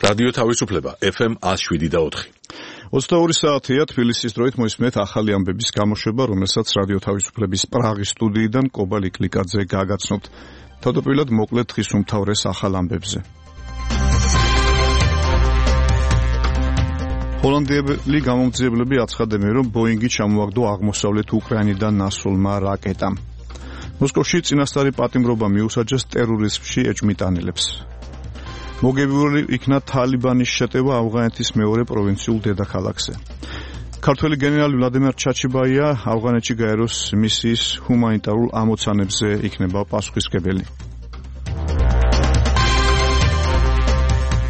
რადიო თავისუფლება FM 107.4. 22 საათია თბილისის დროით მოისმენთ ახალი ამბების გამოშვება, რომელსაც რადიო თავისუფლების პრაღის სტუდიიდან კობალ იკლიკაძე გაგაცნობთ. თავდაპირველად მოკლედ დღის უმთავრეს ახალ ამბებზე. ჰოლანდიელი გამომძიებლები აცხადებენ, რომ ბოინგი ჩამოაგდო აღმოსავლეთ უკრაინიდან ნასრულმა რაკეტამ. მოსკოვში წინასწარი პატიმრობა მიუსაჯეს ტერორიზმში ეჭვმიტანილებს. მოგებიული იქნა თალიბანის შეტევა ავღანეთის მეორე პროვინციულ დედაქალაქზე. ქართველი გენერალი ვლადიმერ ჩაჩიბაია ავღანეთში გაეროს მისიის ჰუმანიტარულ ამოცანებზე იქნება პასუხისმგებელი.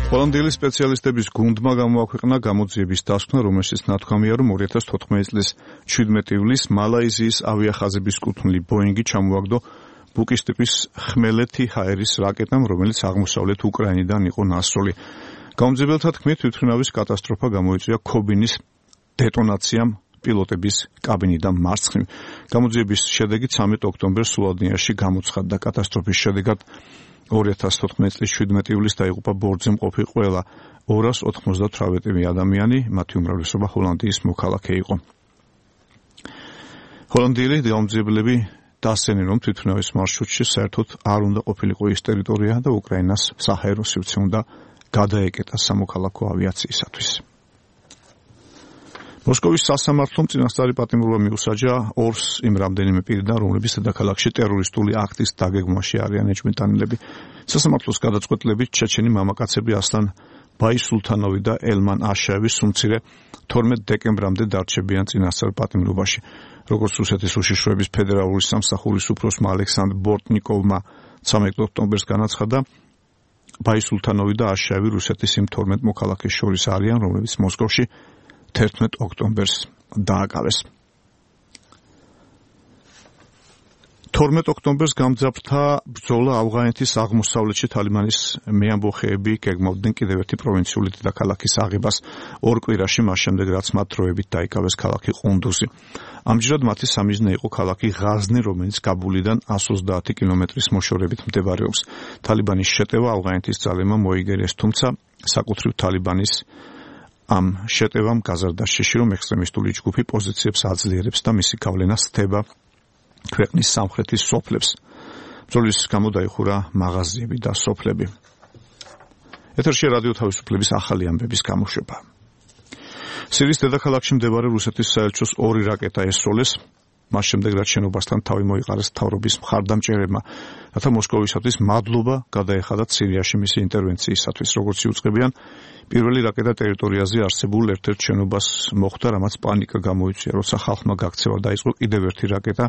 ჰოლანდიელი სპეციალისტების გუნდმა გამოაქვეყნა გამოძიების დასკვნა, რომელშიც ნათქვამია, რომ 2014 წლის 17 ივლისს მალაიზიის ავიახაზების კუთვნილი ბოინგი ჩამოაგდო ბუკის ტიპის ხმელეთი ჰაერის რაკეტამ, რომელიც აღმოსავლეთ უკრაინიდან იყო ნასროლი. გამომძიებელთა თქმით, თვითმფრინავის კატასტროფა გამოიწვია ქობინის დეტონაციამ პილოტების კაბინიდან მარცხნივ. გამოძიების შედეგი 13 ოქტომბერს სლოვენიაში გამოცხადდა. კატასტროფის შედეგად 2014 წლის 17 ივლისს დაიღუპა ბორტზე მყოფი ყველა 298 ადამიანი, მათი უმრავლესობა ჰოლანდიის მოქალაქე იყო. ჰოლანდიელი გამომძიებლები დასცნენ, რომ თვითმფრინავის მარშრუტში საერთოდ არ უნდა ყოფილიყო ის ტერიტორია და უკრაინას საჰაერო სივრცე უნდა გადაეკეტა სამოქალაქო ავიაციისათვის. მოსკოვის სასამართლომ წინასწარი პატიმრობა მიუსაჯა ორს იმ რამდენიმე პირიდან, რომლებიც დედაქალაქში ტერორისტული აქტის დაგეგმვაში არიან ეჭვმიტანილები. სასამართლოს გადაწყვეტილებით ჩეჩენი მამაკაცები ასლან ბაისულთანოვი და ელმან აშაევი სუმცირე 12 დეკემბრამდე დარჩებიან წინასწარ პატიმრობაში. როგორც რუსეთის უშიშროების ფედერალური სამსახურის უფროსმა ალექსანდრ ბორტნიკოვმა 13 ოქტომბერს განაცხადა, ბაისულთანოვი და აშაევი რუსეთის იმ 12 მოქალაქეს შორის არიან, რომლებიც მოსკოვში 11 ოქტომბერს დააკავეს. 12 ოქტომბერს გამძაფრდა ბრძოლა ავღანეთის აღმოსავლეთში. თალიბანის მეამბოხეები გეგმავდნენ კიდევ ერთი პროვინციული დედაქალაქის აღებას ორ კვირაში, მას შემდეგ რაც მათ დროებით დაიკავეს ქალაქი ყუნდუზი. ამჯერად მათი სამიზნე იყო ქალაქი ღაზნი, რომელიც კაბულიდან 130 კილომეტრის მოშორებით მდებარეობს. თალიბანის შეტევა ავღანეთის ძალებმა მოიგერეს, თუმცა საკუთრივ თალიბანის ამ შეტევამ გაზარდა შიში, რომ ექსტრემისტული ჯგუფი პოზიციებს აძლიერებს და მისი გავლენა სთება ქვეყნის სამხრეთის სოფლებს. ბრძოლის გამო დაიხურა მაღაზიები და სოფლები. ეთერში რადიო თავისუფლების ახალი ამბების გამოშვება. სირიის დედაქალაქში მდებარე რუსეთის საელჩოს 2 რაკეტა ესროლეს, მას შემდეგ რაც შენობასთან თავი მოიყარეს მთავრობის მხარდამჭერებმა, რათა მოსკოვისათვის მადლობა გადაეხადათ სირიაში მისი ინტერვენციისათვის. როგორც იუწყებიან, პირველი რაკეტა ტერიტორიაზე არსებულ ერთ-ერთ შენობას მოხვდა, რამაც პანიკა გამოიწვია, როცა ხალხმა გაქცევა დაიწყო კიდევ ერთი რაკეტა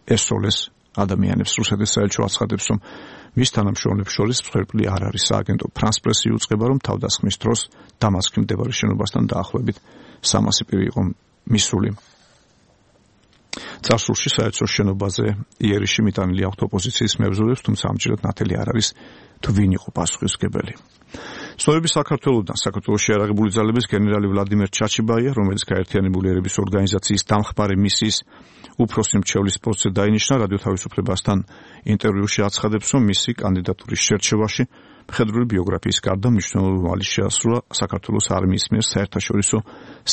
ესროლეს ადამიანებს. რუსეთის საელჩო აცხადებს, რომ მის თანამშრომლებს შორის მსხვერპლი არ არის. სააგენტო ფრანს პრესი იუწყება, რომ თავდასხმის დროს დამასკში მდებარე შენობასთან დაახლოებით 300 პირი იყო მისული. წარსულში საელჩოს შენობაზე იერიში მიტანილი აქვთ ოპოზიციის მებრძოლებს, თუმცა ამჯერად ნათელი არ არის თუ ვინ იყო პასუხისმგებელი. ცნობები საქართველოდან. საქართველოს შეიარაღებული ძალების გენერალი ვლადიმერ ჩაჩიბაია, რომელიც გაერთიანებული ერების ორგანიზაციის დამხმარე მისიის უფროსი მრჩევლის პოსტზე დაინიშნა, რადიო თავისუფლებასთან ინტერვიუში აცხადებს, რომ მისი კანდიდატურის შერჩევაში მხედრული ბიოგრაფიის გარდა მნიშვნელოვანი შეასრულა საქართველოს არმიის მიერ საერთაშორისო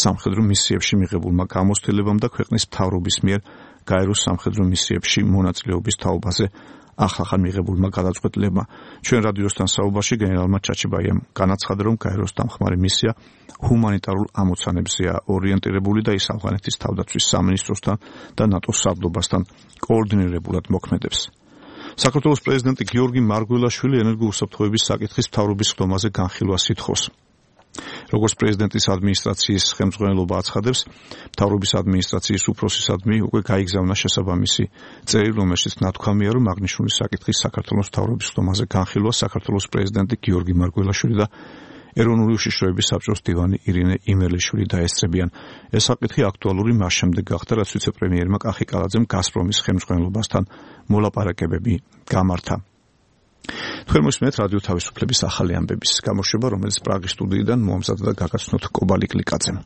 სამხედრო მისიებში მიღებულმა გამოცდილებამ და ქვეყნის მთავრობის მიერ გაეროს სამხედრო მისიებში მონაწილეობის თაობაზე ახალ მიღებულმა გადაწყვეტილებმა. ჩვენ რადიოსთან საუბარში გენერალმა ჩაჩიბაიამ განაცხადა, რომ გაეროს დამხმარე მისია ჰუმანიტარულ ამოცანებზეა ორიენტირებული და ის ავღანეთის თავდაცვის სამინისტროსთან და ნატოს სარდლობასთან კოორდინირებულად მოქმედებს. საქართველოს პრეზიდენტი გიორგი მარგველაშვილი ენერგოუსაფრთხოების საკითხის მთავრობის ხდომაზე განხილვას ითხოვს. როგორც პრეზიდენტის ადმინისტრაციის ხელმძღვანელობა აცხადებს, მთავრობის ადმინისტრაციის უფროსისადმი უკვე გაიგზავნა შესაბამისი წერილი, რომელშიც ნათქვამია, რომ აღნიშნული საკითხის საქართველოს მთავრობის ხდომაზე განხილვა საქართველოს პრეზიდენტი გიორგი მარგველაშვილი და ეროვნული უშიშროების საბჭოს დივანი ირინე იმერლიშვილი დაესწრებიან. ეს საკითხი აქტუალური მას შემდეგ გახდა, რაც ვიცე-პრემიერმა კახი კალაძემ გაზპრომის ხელმძღვანელობასთან მოლაპარაკებები გამართა. თქვენ მოსმენთ რადიო თავისუფლების ახალი ამბების გამოშვება, რომელიც პრაღის სტუდიიდან მოამზადდა და გაგაცნოთ კობალ იკლიკაძემ.